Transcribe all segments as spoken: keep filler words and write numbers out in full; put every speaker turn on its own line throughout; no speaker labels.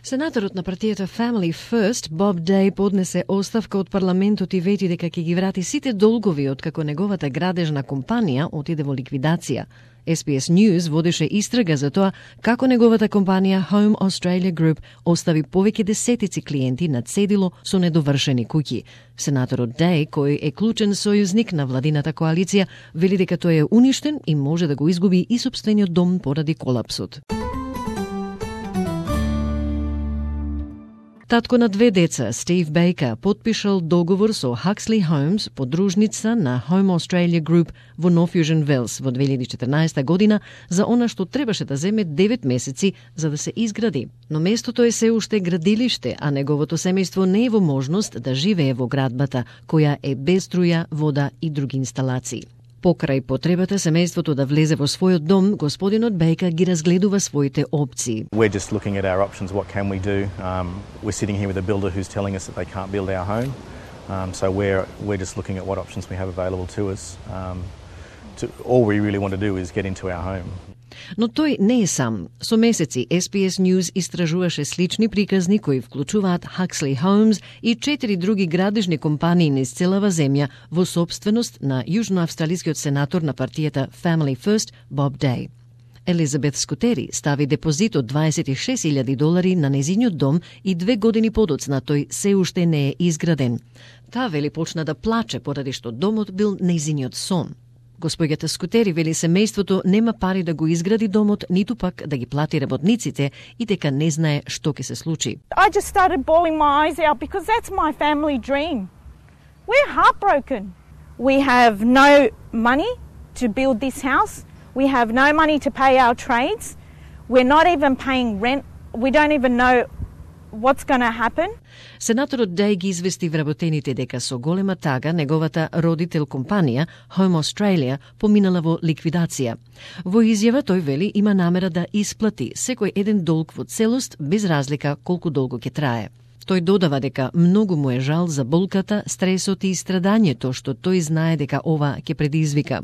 Сенаторот на партијата Family First, Bob Day, поднесе оставка од парламентот и вети дека ќе ги врати сите долгови откако неговата градежна компанија отиде во ликвидација. Ес Би Ес News водеше истрага за тоа како неговата компанија Home Australia Group остави повеќе десетици клиенти на цедило со недовршени куќи. Сенаторот Day, кој е клучен сојузник на владината коалиција, вели дека тој е уништен и може да го изгуби и сопствениот дом поради колапсот. Татко на две деца, Стив Бейкер, подпишал договор со Huxley Homes, подружница на Home Australia Group во North Fusion Wells во две илјади и четрнаесета година за она што требаше да земе девет месеци за да се изгради. Но местото е се уште градилиште, а неговото семејство не е во можност да живее во градбата, која е без струја, вода и други инсталации. Покрај потребата семејството да влезе во својот дом, господинот Бейкер ги разгледува своите опции.
We're just looking at our options. What can we do? Um, we're sitting here with a builder who's telling us that they can't build our home. Um, so we're we're just looking at what options we have available to us. Um, to, all we really want to do is get into our home.
Но тој не е сам. Со месеци Ес Би Ес News истражуваше слични приказни кои вклучуваат Huxley Homes и четири други градежни компании низ целава земја во собственост на јужноавстралискиот сенатор на партијата Family First, Bob Day. Елизабет Скутери стави депозит од дваесет и шест илјади долари на незиниот дом и две години подоцна тој се уште не е изграден. Таа вели почна да плаче поради што домот бил незиниот сон. Господјата Скутери вели семејството нема пари да го изгради домот, ниту пак да ги плати работниците и дека не знае што ќе се случи.
I just started bawling my eyes out because that's my family dream. We're heartbroken. We have no money to build this house. We have no money to pay our trades. We're not even paying rent. We don't even know what's going to happen.
Сенаторот Day ги извести вработените дека со голема тага неговата родител компанија Home Australia поминала во ликвидација. Во изјава тој вели има намера да исплати секој еден долг во целост без разлика колку долго ќе трае. Тој додава дека многу му е жал за болката, стресот и страдањето што тој знае дека ова ќе предизвика.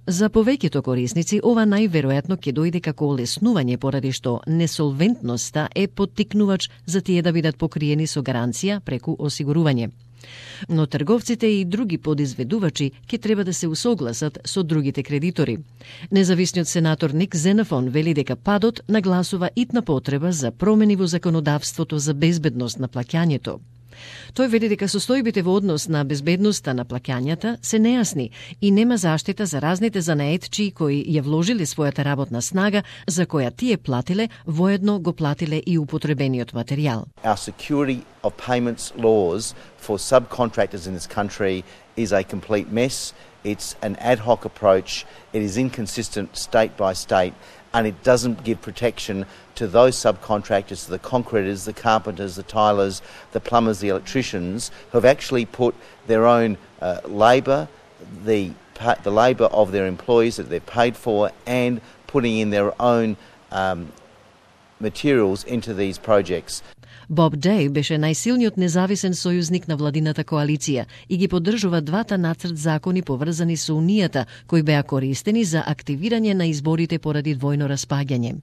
За повеќето корисници ова најверојатно ќе дојде како олеснување поради што несолвентноста е поттикнувач за тие да бидат покриени со гаранција преку осигурување. Но трговците и други подизведувачи ќе треба да се усогласат со другите кредитори. Независниот сенатор Ник Зенафон вели дека падот нагласува итна потреба за промени во законодавството за безбедност на плаќањето. Тој вели дека состојбите во однос на безбедноста на плаќањата се нејасни и нема заштита за разните занаетчии кои ја вложиле својата работна снага, за која тие платиле, воедно го платиле и употребениот материјал.
Our security of payments laws for subcontractors in this country is a complete mess. It's an ad hoc approach. It is inconsistent state by state, and it doesn't give protection to those subcontractors, to the concreters, the carpenters, the tilers, the plumbers, the electricians, who have actually put their own uh, labour, the the labour of their employees that they've paid for, and putting in their own um, materials into these projects.
Bob Day беше најсилниот независен сојузник на владината коалиција и ги поддржува двата нацрт закони поврзани со унијата, кои беа користени за активирање на изборите поради двојно распаѓање.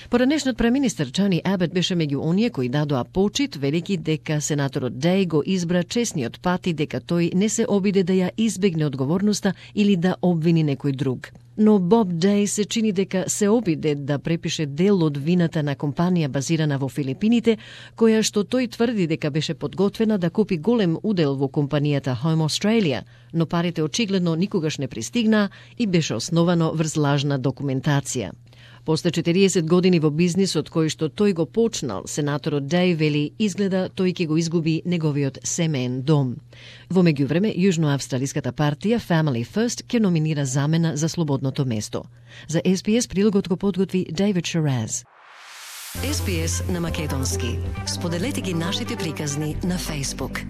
Поранешниот преминистер Тони Абет беше меѓу оние кои дадоа почит, велики дека сенаторот Day го избра честниот пат и дека тој не се обиде да ја избегне одговорноста или да обвини некој друг. Но Боб Day се чини дека се обиде да препише дел од вината на компанија базирана во Филипините, која што тој тврди дека беше подготвена да купи голем удел во компанијата Home Australia, но парите очигледно никогаш не пристигнаа и беше основано врз лажна документација. После четириесет години во бизнисот кој што тој го почнал, сенаторот Day вели изгледа тој ќе го изгуби неговиот семеен дом. Во меѓувреме, јужноавстралиската партија Family First ќе номинира замена за слободното место. За Ес Би Ес прилогот го подготви Дейвид Шараз.
Ес Би Ес на македонски. Споделете ги нашите приказни на Facebook.